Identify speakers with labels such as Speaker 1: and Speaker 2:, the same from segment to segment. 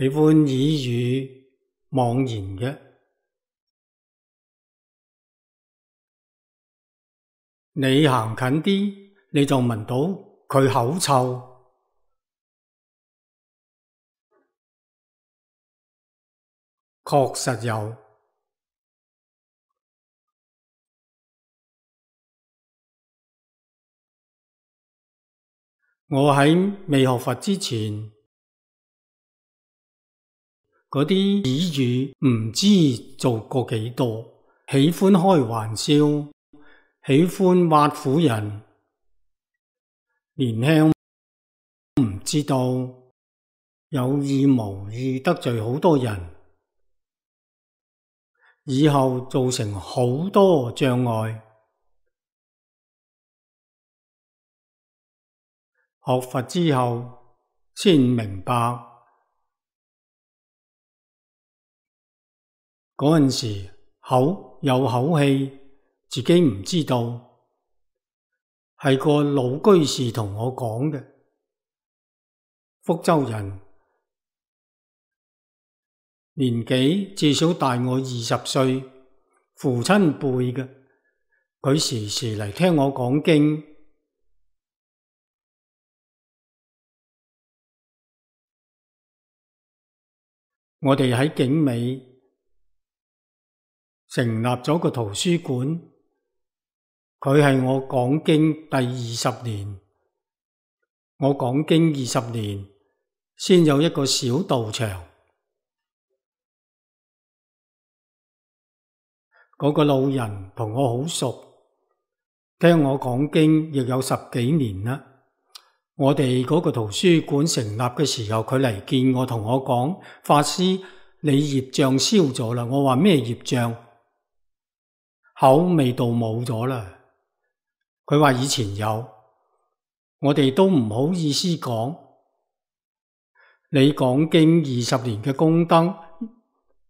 Speaker 1: 喜歡耳語妄言嘅。你行近啲，你就聞到佢口臭。確實有。我喺未學佛之前，嗰啲耳語唔知做過幾多，喜歡開玩笑，喜歡挖苦人，年輕唔知道，有意無意得罪好多人，以後造成好多障礙。學佛之後先明白，嗰陣時口有口氣，自己唔知道，係個老居士同我講嘅。福州人，年紀至少大我20歲，父親輩嘅，佢時時嚟聽我講經。我哋喺景美成立咗個圖書館，佢係我講經第20年。我講經20年，先有一個小道場。嗰個老人同我好熟，聽我講經亦有10幾年啦。我哋嗰個圖書館成立嘅時候，佢嚟見我，同我講：法師，你業障消咗啦。我話咩業障？口味道冇咗啦。佢話以前有，我哋都唔好意思講。你講經20年嘅功德，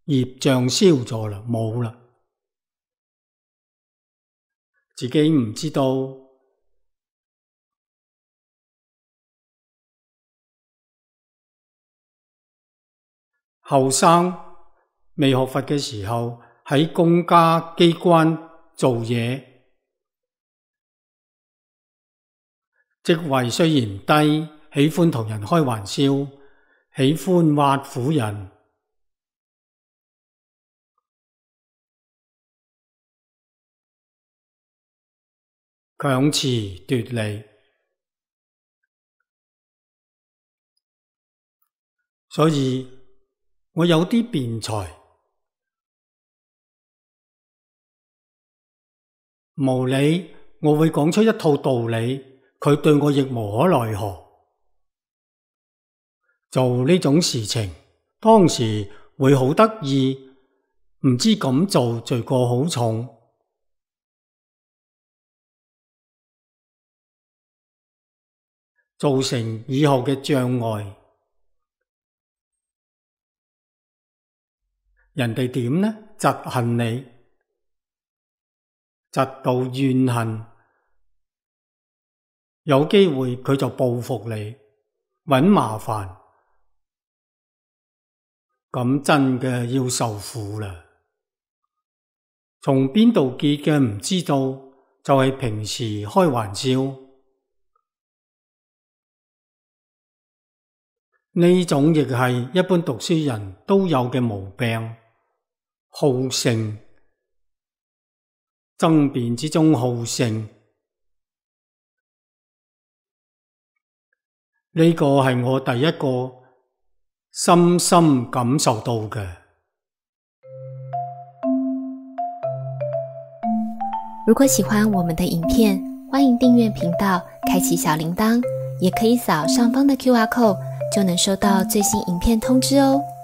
Speaker 1: 業障消咗啦，冇啦。自己唔知道。後生未學佛嘅時候，喺公家機關做嘢，職位雖然低，喜歡同人開玩笑，喜歡挖苦人，強詞奪理，所以我有啲辯才，無理我會講出一套道理，佢對我亦無可奈何。做呢種事情，當時會好得意，唔知咁做罪過好重，造成以後嘅障礙。人哋點呢？嫉恨你，嫉妒怨恨，有機會佢就報復你，搵麻煩，咁真嘅要受苦啦。從邊度結嘅唔知道，就係平時開玩笑。呢種亦係一般讀書人都有嘅毛病。好勝，爭辯之中好勝，呢個係我第一個深深感受到嘅。
Speaker 2: 如果喜歡我們的影片，歡迎訂閱頻道，開啟小鈴鐺，也可以掃上方的QR code，就能收到最新影片通知哦。